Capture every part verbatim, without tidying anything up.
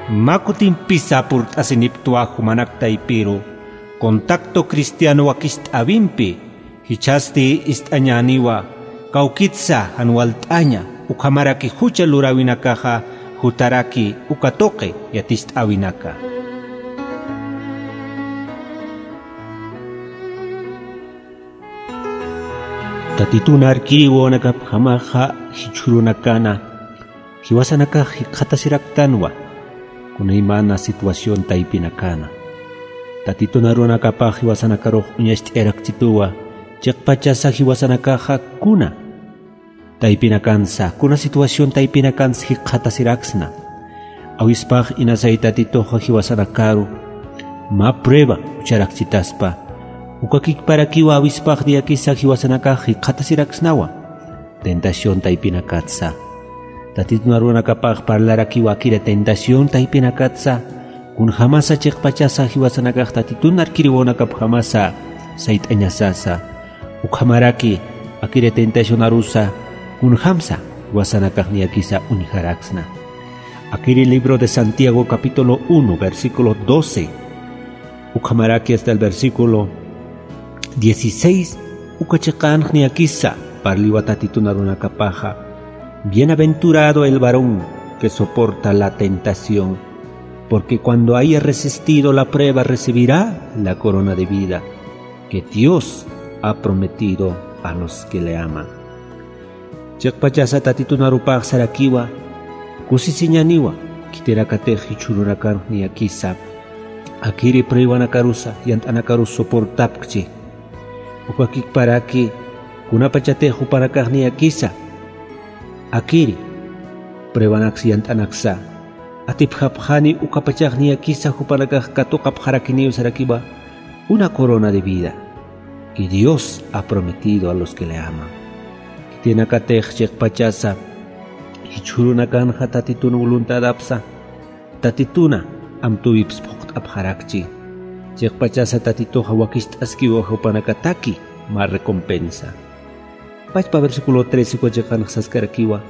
Mä kutimpisa purt'asiniptwa jumanak taypiru contacto cristiano wakist'äwimpi, jichhasti ist'añäniwa kawkitsa jan walt'aña ukhamaraki jucha luräwinakaxa jutaraki uka tuqi yatist'äwinaka. Tatitun arkiriw wawanakapjamaxa jichhürunakana jiwasanakax jikxatasiraktanwa kunaymana situación taypinakana. Tatitun arunakapax jiwasanakarux uñacht'ayarakchituwa, chiqpachasa jiwasanakaxa kuna taypinakansa, kuna situación taypinakansa jikxatasiraksna. Awispax inasay Tatituxa jiwasanakaru mä prueba jucharakchitaspa. Ukakikparakiwa awispax niyakisa jiwasanakax jikxatasiraksnawa tentación taypinakatsa. Tatitun arunakapax parlarakiwa akiri tentación taypinakatsa, kunjamasa chiqpachasa jiwasanakax Tatitun arkiriw wawanakapjamasa sayt'añasasa. Ukhamaraki akiri tentación arusa kunjamsa jiwasanakax niyakisa uñjaraksna. Akiri libro de Santiago capítulo uno, versículo doce, ukhamaraki hasta el versículo dieciséis, uka chiqanx niyakisa parliwa Tatitun arunakapaxa: Bienaventurado el varón que soporta la tentación, porque cuando haya resistido la prueba recibirá la corona de vida que Dios ha prometido a los que le aman. Chiqpachasa Tatitun arupax sarakiwa, kusisiñäniwa, khitinakatix jichhürunakanx niyakisa akiri pruebanakarusa, yant'anakarus soportapkchi. Ukakikparaki kunapachatix jupanakax niyakisa akiri pruebanaksa, yant'anaksa atipjapxani, ukapachax niyakisa jupanakax katuqapxarakiniw sarakiwa una corona de vida que Dios ha prometido a los que le aman. Khitinakatix chiqpachasa jichhürunakanxa Tatitun voluntadapsa, Tatituna amtuwips phuqt'apxarakchi. Chiqpachasa Tatituxa wakicht'askiwa jupanakataki mä recompensa. Pachpa versículo trece uka chiqanx saskarakiwa: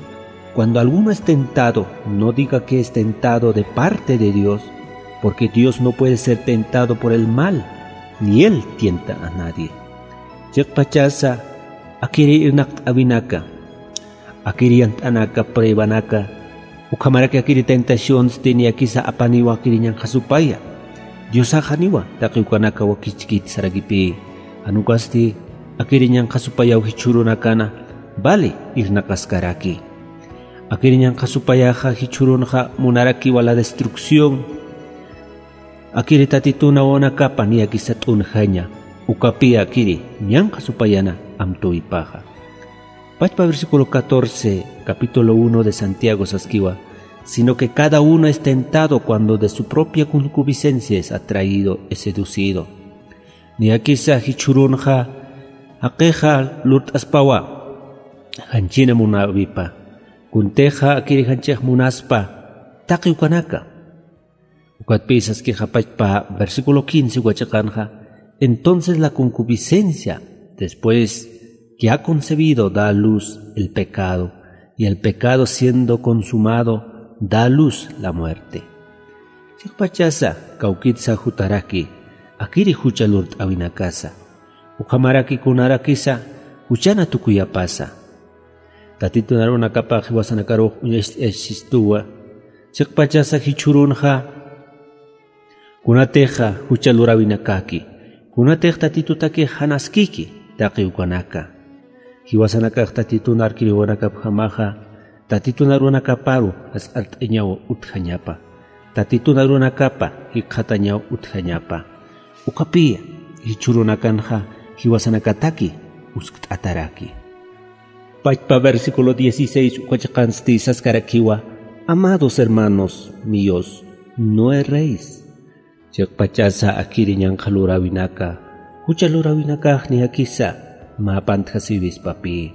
Cuando alguno es tentado, no diga que es tentado de parte de Dios, porque Dios no puede ser tentado por el mal, ni él tienta a nadie. Chiqpachasa akiri irnaqt'äwinaka, akiri yant'anaka, pruebanaka, ukhamaraki akiri tentacionsti niyakisa apaniwa akiri ñanqha supaya. Diosax janiwa taqi ukanaka wakichkiti sarakipï. Jan ukasti akiri ñanqha supayaw jichhürunakana vale irnaqaskaraki. Akiri ñanqha supayaxa jichhürunxa munarakiwa la destrucción. Akiri Tatitun wawanakapa niyakisa t'unjaña, ukapï akiri ñanqha supayana amtuwipaxa. Pachpa versículo catorce, capítulo uno de Santiago saskiwa: Sino que cada uno es tentado cuando de su propia concupiscencia es atraído, es seducido. Niyakisa jichhürunxa jaqixa lurt'aspawa janchina munäwipa, kuntixa akiri janchix munaspa taqi ukanaka. Ukatpï saskixa pachpa versículo quince uka chiqanxa: Entonces la concupiscencia, después que ha concebido, da a luz el pecado, y el pecado, siendo consumado, da a luz la muerte. Chiqpachasa kawkitsa jutaraki akiri jucha lurt'äwinakasa, ukhamaraki kunarakisa juchana tukuyapasa. Tatitun arunakapax jiwasanakarux uñacht'ayachistuwa, chiqpachasa jichhürunxa kunatixa jucha luräwinakaki, kunatix Tatitutakix jan askiki taqi ukanaka. Jiwasanakax Tatitun arkiriwanakapjamaxa Tatitun arunakaparu jasq'art'añaw utjañapa, Tatitun arunakapa jikxatañaw utjañapa. Ukapï jichhürunakanxa jiwasanakataki uskt'ataraki. Pachpa versículo dieciséis uka chiqansti saskarakiwa: Amados hermanos míos, no erréis. Chiqpachasa akiri ñanqha luräwinaka, jucha luräwinakax niyakisa mä pantjasiwispapï.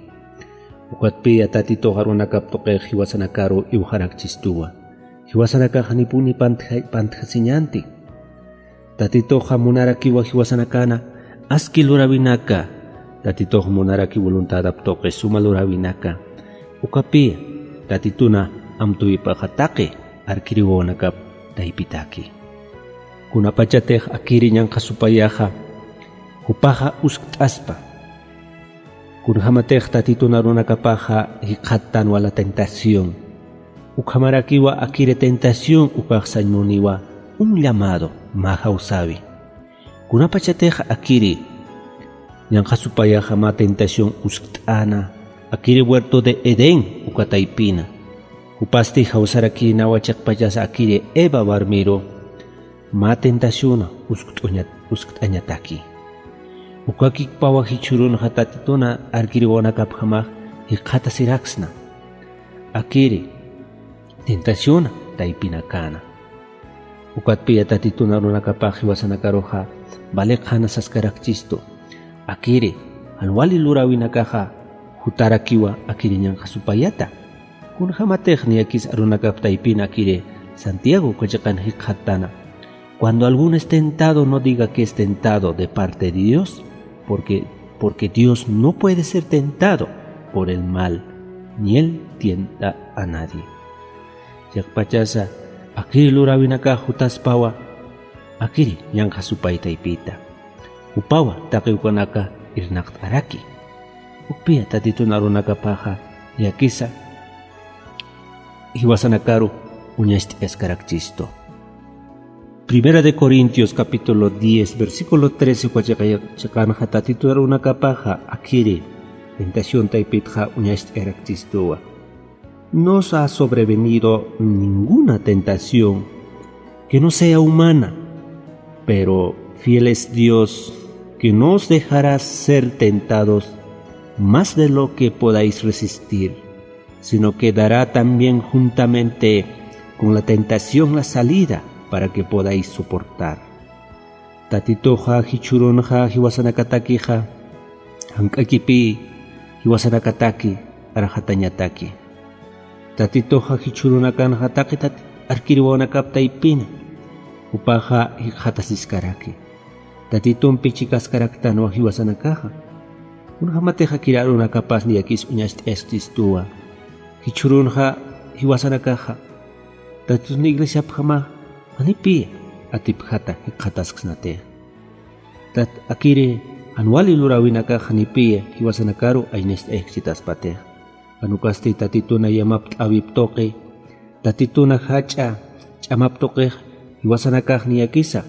Ukatpï Tatitux arunakap tuqix jiwasanakaru iwxarakchistuwa. Jiwasanakax janipuni pantja-, pantjasiñänti. Tatituxa munarakiwa jiwasanakana aski luräwinaka. Tatitux munaraki voluntadap tuqi suma luräwinaka. Ukapï Tatituna amtuwipaxa taqi arkiriw wawanakap taypitaki. Kunapachatix akiri ñanqha supayaxa, jupaxa uskt'aspa. Kunjamatix tatitun arunakapaxa jikxattanwa la tentación. Ukhamarakiwa akiri tentación ukax sañ muniwa un llamado mä jawsäwi. Kunapachatix akiri ñanqha supayaxa mä tentación uskt'äna, akiri huerto de Edén uka taypina. Jupasti jawsarakïnawa chiqpachasa akiri Eva warmiru mä tentaciona uskt'uña-, uskt'añataki. Ukakikpawa jichhürunxa tatituna arkiriwanakapjamax jikxatasiraksna. Akiri tentaciona taypinakäna. Ukatpiya tatitun arunakapax jiwasanakaruxa valeqxana saskarakchistu. Akiri jan wali luräwinakaxa jutarakiwa akiri ñanqha supayata. Kunjamatix niyakis arunakap taypin akiri Santiago uka chiqan jikxattana. Cuando alguno es tentado, no diga que es tentado de parte de Dios, porque, porque Dios no puede ser tentado por el mal, ni él tienta a nadie. Chiqpachasa akiri luräwinakax jutaspawa, akiri ñanqha supay taypita. Jupawa taqi ukanaka irnaqt'araki. Ukpiya tatitun arunakapaxa niyakisa jiwasanakaru uñacht'ayaskarakchistu. Primera de Corintios capítulo diez, versículo trece, uka chiqa-, chiqanxa tatitun arunakapaxa akiri tentación taypitxa uñacht'ayarakchistuwa. No os ha sobrevenido ninguna tentación que no sea humana, pero fiel es Dios, que no os dejará ser tentados más de lo que podáis resistir, sino que dará también juntamente con la tentación la salida para que podáis soportar. Tatituxa jichhürunxa jiwasanakatakixa, jank'akipï jiwasanakataki arxatañataki. Tatituxa jichhürunakanxa taqi tati arkiriwawanakap taypina, jupaxa jikxatasiskaraki. Tatitumpi chikaskaraktanwa jiwasanakaxa. Kunjamatix akiri arunakapas niyakis uñacht'ayaskchistuwa. Jichhürunxa jiwasanakaxa, tatitun iglesiapjamax janipï atipjata jikxatasksnatix. Tat akiri jan wali luräwinakax janipï jiwasanakaru aynacht'ayaskchitaspatix. Jan ukasti tatituna yamapt'äwip tuqi, tatituna jach'a ch'amap tuqix jiwasanakax niyakisa,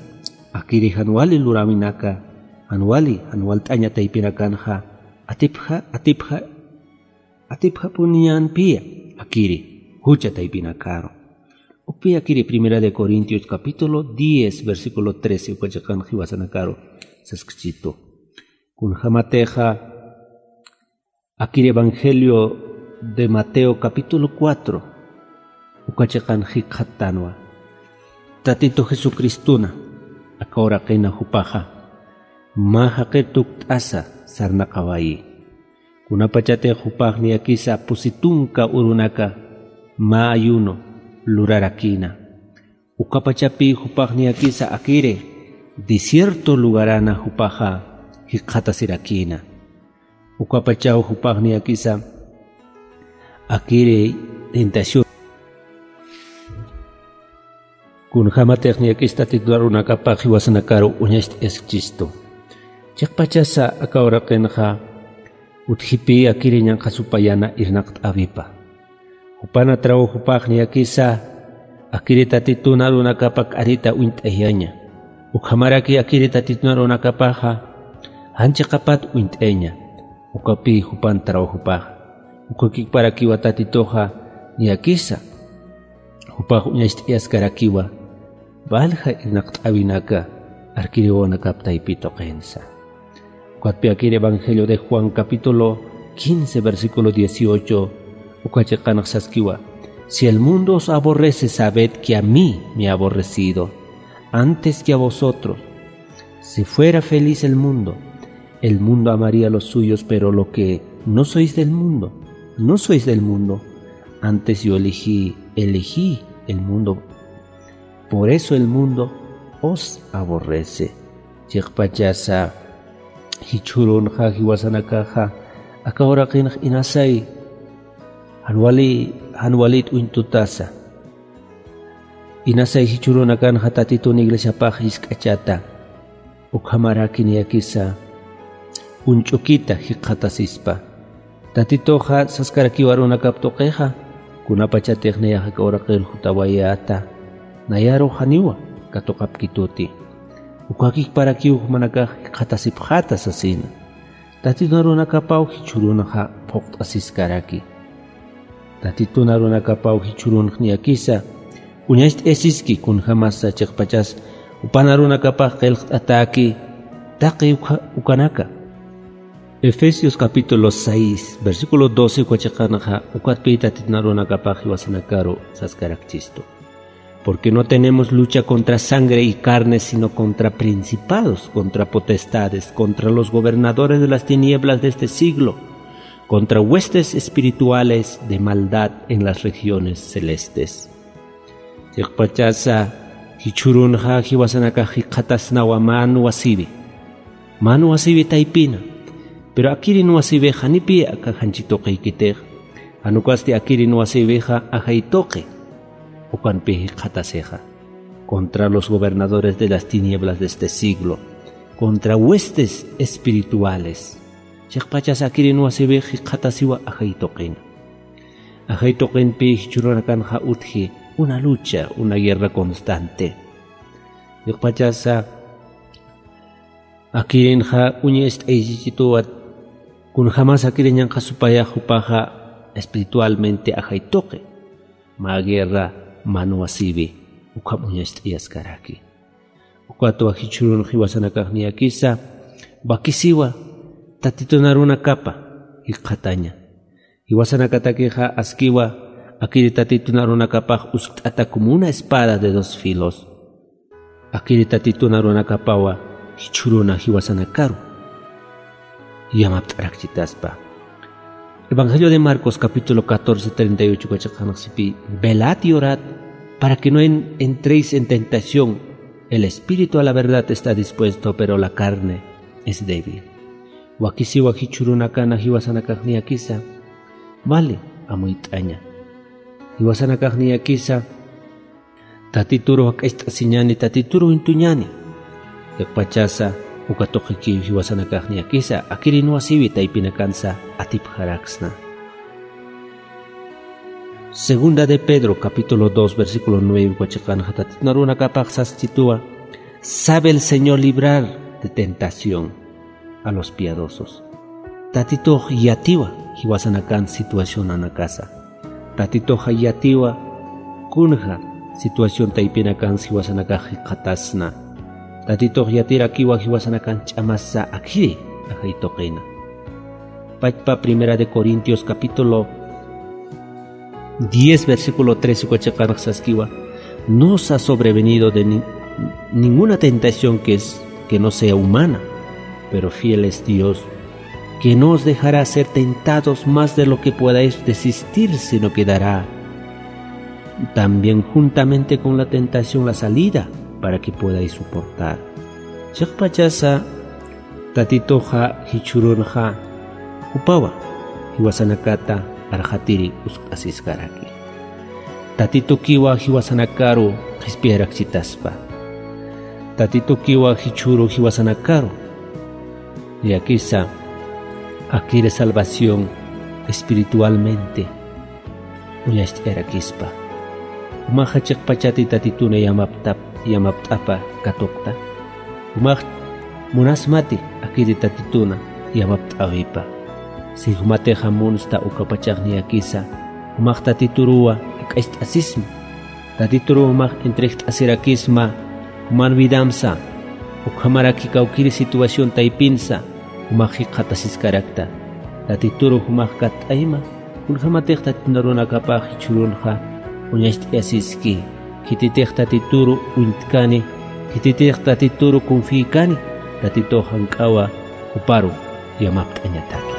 akiri jan wali luräwinaka, jan wali, jan walt'aña taypinakanxa, atipja, atipja, atipjapuniñänpï akiri jucha taypinakaru. Ukpï akiri Primera de Corintios capítulo diez, versículo trece, uka chiqan jiwasanakaru saskchitu. Kunjamatixa akiri Evangelio de Mateo capítulo cuatro, uka chiqan jikxattänwa. Tatitu Jesucristona aka uraqina jupaxa mä jaqir tukt'asa sarnaqawayi. Kunapachatix jupax niyakisa pusi tunka urunaka mä ayuno lurarakïna. Ukapachapï jupax niyakisa akiri desierto lugarana jupaxa jikxatasirakïna. Ukapachaw jupax niyakisa akiri tentación. Kunjamatix niyakis Tatitu arunakapax jiwasanakaru uñacht'ayaskchistu. Chiqpachasa aka uraqinxa utjipï akiri ñanqha supayana irnaqt'äwipa. Jupana trabajopax niyakisa akiri Tatitun arunakapa k'arita uñt'ayaña. Ukhamaraki akiri Tatitun arunakapaxa jan chiqapat uñt'ayaña. Ukapï jupan trabajopax. Ukakiparakiwa Tatituxa niyakisa jupax uñacht'ayaskarakiwa, valja irnaqt'äwinaka arkiriwanakap taypi tuqinsa. Ukatpï akir Evangelio de Juan capítulo quince, versículo dieciocho, uka chiqanx saskiwa: "Si el mundo os aborrece, sabed que a mí me ha aborrecido antes que a vosotros. Si fuera feliz el mundo, el mundo amaría los suyos, pero lo que no sois del mundo, no sois del mundo. Antes yo elegí, elegí el mundo. Por eso el mundo os aborrece". Chiqpachasa jichhürunxa jiwasanakaxa aka uraqinx inasay, jan wali, jan walit uñt'utasa. Inasay jichhürunakanxa Tatitun iglesiapax jisk'achata, ukhamaraki niyakisa uñch'ukita jikxatasispa. Tatituxa saskarakiw arunakap tuqixa, kunapachatix nayax aka uraqir jutawayäta, nayaru janiwa katuqapkituti. Ukakiparakiw jumanakax jikxatasipxäta sasina. Tatitun arunakapaw jichhürunxa phuqt'asiskaraki. Tatitun arunakapaw jichhürunx niyakisa uñacht'ayasiski kunjämasa chiqpachas jupan arunakapax qillqt'atäki taqi uka-, ukanaka. Efesios capítulo seis, versículo doce uka chiqanxa, ukatpï Tatitun arunakapax jiwasanakaru saskarakchistu. Porque no tenemos lucha contra sangre y carne, sino contra principados, contra potestades, contra los gobernadores de las tinieblas de este siglo, contra huestes espirituales de maldad en las regiones celestes. Chiqpachasa jichhürunxa jiwasanakax jikxatasnawa mä nuwa siwi. Mä nuwa siwi taypina. Pero akirin nuwa siwix janipï aka janchi tuqiykitix. Jan ukasti akirin nuwa siwixa ajay tuqi. Ukanpï jikxatasixa. Contra los gobernadores de las tinieblas de este siglo. Contra huestes espirituales. Chiqpachasa akirin nuwa siwix jikxatasiwa ajay tuqina. Ajay tuqinpï jichhürunakanxa utji una lucha, una guerra constante. Chiqpachasa akirinxa uñacht'ayasichituwa kunjämas akiriñanxa supayax jupaxa espiritualmente ajay tuqi. Mä guerra, mä nuwa siwi, ukham uñacht'ayaskaraki. Ukatwa jichhürun jiwasanakax niyakisa, wakisiwa Tatitun arunakapa jikxataña. Jiwasanakatakixa askiwa, akiri Tatitun arunakapax uskt'ata como una espada de dos filos. Akiri Tatitun arunakapawa jichhüruna jiwasanakaru yamapt'arakchitaspa. Evangelio de Marcos, capítulo catorce, treinta y ocho, uka chiqanxsipï: "Velad y orad para que no en-, entréis en tentación. El espíritu a la verdad está dispuesto, pero la carne es débil". Wakisiwa jichhürunakana jiwasanakax niyakisa, vale, amuyt'aña. Jiwasanakax niyakisa, Tatituru jak'acht'asiñani, Tatituru uñtuñani. Chiqpachasa uka tuqikiw jiwasanakax niyakisa, akirin nuwa siwi taypinakansa atipxaraksna. Segunda de Pedro, capítulo dos, versículo nueve, uka chiqanxa Tatitun arunakapax saschituwa: "Sabe el Señor librar de tentación a los piadosos". Tatitux yatiwa jiwasanakan situacionanakasa. Tatitux yatiwa kunja situación taypinakan jiwasanakax jikxatasna. Tatitux yatirakiwa jiwasanakan ch'amasa akiri ajay tuqina. Pachpa Primera de Corintios capítulo diez, versículo trece, uka chiqanx saskiwa: "No os ha sobrevenido de ni-, ninguna tentación que es, que no sea humana, pero fiel es Dios, que no os dejará ser tentados más de lo que podáis resistir, sino que dará también juntamente con la tentación la salida para que podáis soportar". Chiqpachasa Tatituxa jichhürunxa jupawa jiwasanakata arxatiri uskt'asiskaraki. Tatitukiwa jiwasanakaru qhispiyarakchitaspa. Tatitukiwa jichhüru jiwasanakaru niyakisa akiri salvación espiritualmente uñacht'ayarakispa. Jumaxa chiqpachati Tatituna yamaptap-, yamapt'apa katuqta. Jumax munasmati akiri Tatituna yamapt'äwipa. Si jumatixa munsta ukapachax niyakisa, jumax Tatituruwa jak'acht'asisma. Tatituruw jumax entregt'asirakisma juman vidamsa. Ukhamaraki kawkiri situación taypinsa jumax jikxatasiskarakta. Tatituru jumax katt'ayma, kunjamatix Tatitun arunakapax jichhürunxa uñacht'ayasiski. Khititix Tatituru uñtkani, khititix Tatituru confiykani, Tatitux jank'awa juparu yamapt'añataki.